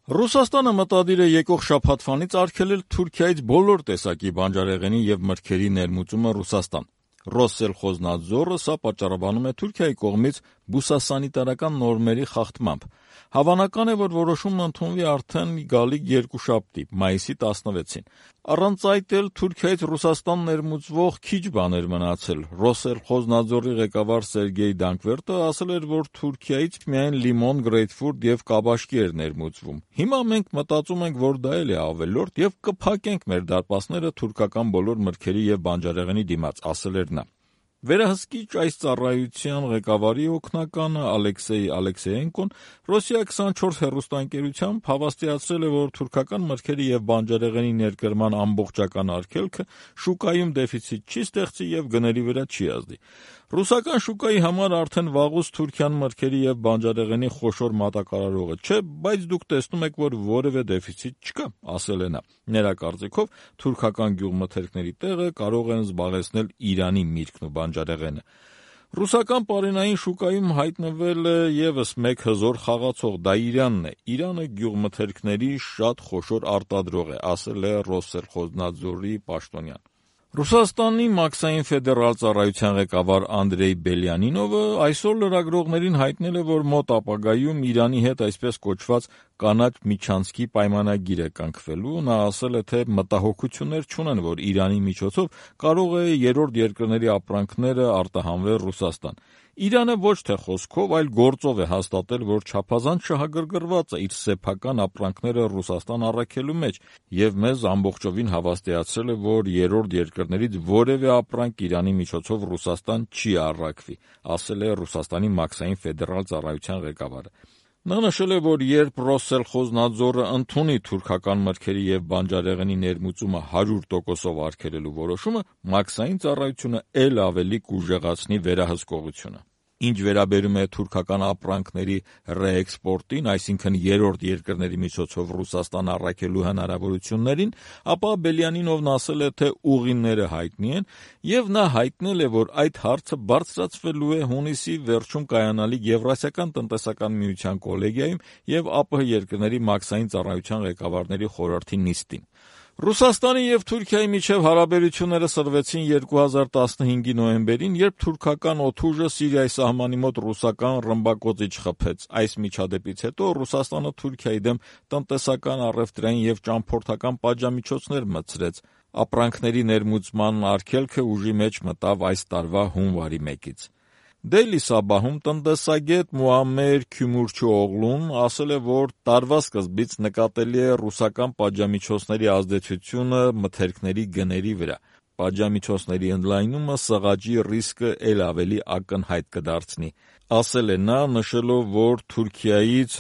Ռուսաստանը մտադիր է եկող շաբաթվանից արգելել Թուրքիայից բոլոր տեսակի բանջարեղենի եւ մրգերի ներմուծումը Ռուսաստան։ Ռոսսելխոզնադզորը սա պատճառաբանում է Թուրքիայի կողմից բուսասանիտարական նորմերի խախտմամբ։ Հավանական է, որ որոշումը ընդունվի արդեն գալիք երկուշաբթի, մայիսի 16-ին։ Առանց այդ էլ Թուրքիայից Ռուսաստան ներմուծվող քիչ բան էր մնացել։ Ռոսսելխոզնադզորի ղեկավար Սերգեյ Դանկվերտը ասել էր, որ Թուրքիայից միայն լիմոն, գրեյփֆրուտ եւ կաբաշկի էր ներմուծվում։ Հիմա մենք մտածում ենք, որ դա էլ է ավելորդ եւ կփակենք մեր դարպասները թուրքական բոլոր մրգերի եւ բանջարեղենի դիմաց, ասել էր նա։ Վերահսկիչ այս ծառայության ղեկավարի օգնականը Ալեքսեյ Ալեքսեյենկոն Ռոսիա 24 հեռուստաընկերությամբ հավաստիացրել է, որ թուրքական մրգերի եւ բանջարեղենի ներկրման ամբողջական արգելքը շուկայում դեֆիցիտ չի ստեղծի եւ գների վրա չի ազդի։ Ռուսական շուկայի համար արդեն վաղուց Թուրքիան մրգերի եւ բանջարեղենի խոշոր մատակարարողը չէ, բայց դուք տեսնում եք, որ որևէ դեֆիցիտ չկա, ասել է նա։ Նրա կարծիքով թուրքական գյուղմթերքների տեղը կարող են զբաղեցնել Իրանի միրգն ու բանջարեղենը։ Ռուսական պարենային շուկայում հայտնվել է եւս մեկ հզոր խաղացող, դա Իրանն է։ Իրանը գյուղմթերքների շատ խոշոր արտադրող է, ասել է Ռոսսելխոզնադզորի պաշտոնյան։ Ռուսաստանի մաքսային ֆեդերալ ծառայության ղեկավար Անդրեյ Բելյանինովը այսօր լրագրողներին հայտնել է, որ մոտ ապագայում Իրանի հետ այսպես կոչված կանաչ միջանցքի պայմանագիր է կնքվելու։ Նա ասել է, թե մտահոգություններ չունեն, որ Իրանի միջոցով կարող է երրորդ երկրների ապրանքները արտահանվել Ռուսաստան։ Իրանը ոչ թե խոսքով, այլ գործով է հաստատել, որ չափազանց շահագրգռված է իր սեփական ապրանքները Ռուսաստան առաքելու մեջ եւ մեզ ամբողջովին հավաստիացրել է, որ երրորդ երկրներից որևէ ապրանք Իրանի միջոցով Ռուսաստան չի առաքվի, ասել է Ռուսաստանի մաքսային ֆեդերալ ծառայության ղեկավարը։ Նա նշել է, որ երբ Ռոսսելխոզնադզորը ընդունի թուրքական մրգերի եւ բանջարեղենի ներմուծումը 100%-ով արգելելու որոշումը, մաքսային ծառայությունը ել ավելի կուժեղացնի վերահսկողությունը։ Ինչ վերաբերում է թուրքական ապրանքների ռեէքսպորտին, այսինքն երրորդ երկրների միջոցով Ռուսաստան առաքելու հնարավորություններին, ապա Բելյանինովն ասել է, թե ուղիները հայտնի են, եւ նա հայտնել է, որ այդ հարցը բարձրացվելու է հունիսի վերջում կայանալիք Եվրասիական տնտեսական միության կոլեգիայում եւ ԱՊՀ երկրների մաքսային ծառայության ղեկավարների խորհրդի նիստին։ Ռուսաստանի եւ Թուրքիայի միջև հարաբերությունները սրվեցին 2015-ի նոյեմբերին, երբ թուրքական օդուժը Սիրիայի սահմանի մոտ ռուսական ռմբակոծիչ խփեց։ Այս միջադեպից հետո Ռուսաստանը Թուրքիայի դեմ տնտեսական, առևտրային եւ ճամփորդական պատժամիջոցներ մտցրեց։ Ապրանքների ներմուծման արգելքը ուժի մեջ մտավ այս տարվա հունվարի 1-ից։ Դեյլի Սաբահում տնտեսագետ Մուամմեր Քյումուրչուօղլուն ասել է, որ տարվա սկզբից նկատելի է ռուսական պատժամիջոցների ազդեցությունը մթերքների գների վրա։ Պատժամիջոցների ընդլայնումը սղաճի ռիսկը ել ավելի ակնհայտ կդարձնի, ասել է նա, նշելով, որ Թուրքիայից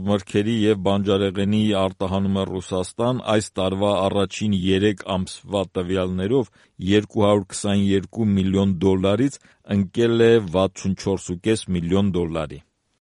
մրգերի եւ բանջարեղենի արտահանումը Ռուսաստան այս տարվա առաջին 3 ամսվա տվյալներով $222 միլիոն ընկել է $64.5 միլիոն։